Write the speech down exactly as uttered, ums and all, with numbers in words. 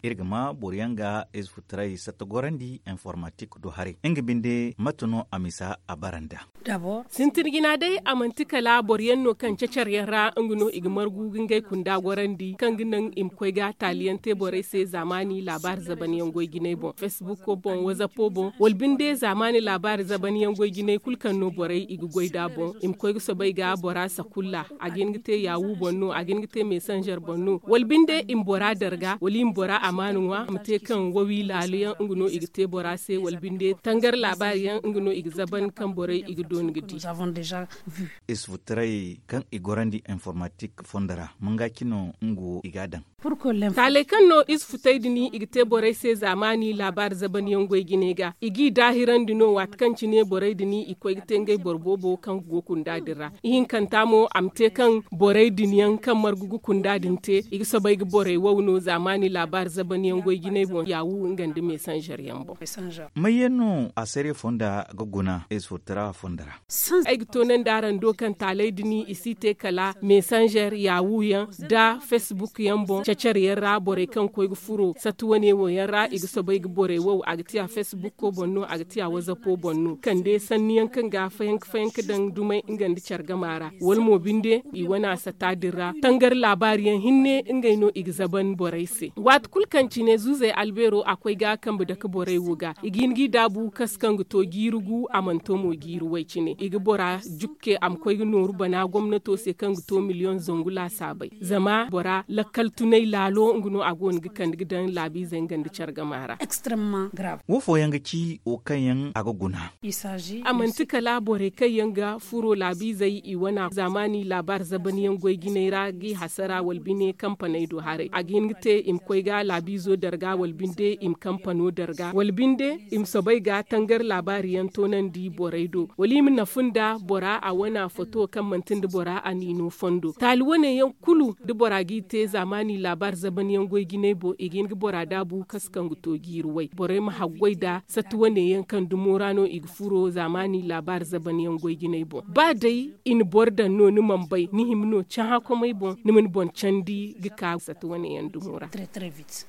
Iri ga ma boro yaŋ ga ize futaray satta gorandi informatik do haray nga binde mate no a misa a bara nda. Sintin jina day a manti kala boro yaŋ no kaŋ cacar yaŋ ra nga no i ga margu ga ngey kunda gorandi kaŋ ga naŋ i ma koy ga taali yaŋ te borey se zaamaani laabaari zaban yaŋ goy jinay boŋ, facebook boŋ, whatsapp boŋ wala binde zaamaani laabaari zaban yaŋ goy jinay kulu kaŋ no borey i ga goy nd'a boŋ i ma koy ga soobay ga bora sakulla a ga hin ga te yaawu boŋ no a ga hin ga te mesanzer boŋ no wala binde i ma bora darga wala i ma bora amaana ŋwa a ma te kaŋ wawi laalo yaŋ nga no i ga te bora se wala binde tangar laabaari yaŋ nga no i ga zaban kaŋ borey i ga dooni ga di. Ize futaray kaŋ i gorandi informatik fondo ra manga cine nga wo i ga a daŋ. Taaley kaŋ no ize futay din i ga te borey se zaamaani laabaari zaban yaŋ goy jinay ga i g'i daahirandi no waati kaŋ cine borey din i koy ga te ngey boro boobo kaŋ ga go kunda din ra. Ihinkanta mo a ma te kaŋ borey din yaŋ kaŋ margu ga kunda din te i ga soobay ga borey wow no zaamaani laabaari zaban yaŋ goy jinay boŋ yaawu nga nda mesanzer yaŋ boŋ. May yaŋ no a sariya fonda ga guna ize futaray fonda ra? Ay ga toonandi araŋ do kaŋ taaley din i si te kala mesanzer yaawu yaŋ nda facebook yaŋ boŋ cacar yaŋ ra borey kaŋ koy ga furo satti wane wo yaŋ ra i ga soobay ga borey wow a ga tiya facebook boŋ no a ga tiya whatsapp boŋ no kande sanni yaŋ kaŋ ga fayanka fayanka daŋ dumay nga nda care gama ra wala mo binde i wane a satta din ra tangar laabaari yaŋ hinne ngey no i ga zaban borey se waati kulu kaŋ cine zuuzey albeero a koy ga kambe dake borey wo ga i ga hin g'i daabu kasu kaŋ ga to jiiri gu a mana to mo jiiri way cine i ga bora jukke a ma koy ga nooru bana gomnato se kaŋ ga to miliyoŋ zangu laasaabey zama bora lakkal tunay laalo nga no a go no ga kande ga daŋ laabiizey nga nda care gama ra. Wo fooyaŋ ga ci wo kaŋ yaŋ a ga guna? A manti kala borey kaŋ yaŋ ga furo laabiizey i wana zaamaani laabaari zaban yaŋ goy jinay ra g'i hasara wala bine kampaney do haray a ga hin ga te i ma koy ga laabiizo darga wala binde i ma kampano darga wala binde i ma soobay ga tangar laabaari yaŋ toonandi borey do wala i ma nafu nda bora a wana foto kaŋ manti nda bora a niino fondo taali wane yaŋ kulu da bora g'i te zaamaani laabaari zaban yaŋ goy jinay boŋ i ga hin ga bora daabu kasu kaŋ ga to jiiri way borey ma haggoy nda satti wane yaŋ kaŋ dumo ra no i ga furo zaamaani laabaari zaban yaŋ goy jinay boŋ ba day i na boro daŋ no ni mana bay ni hima no cahã komey boŋ ni ma ni boŋ candi ga ka sata wane yaŋ dumo ra.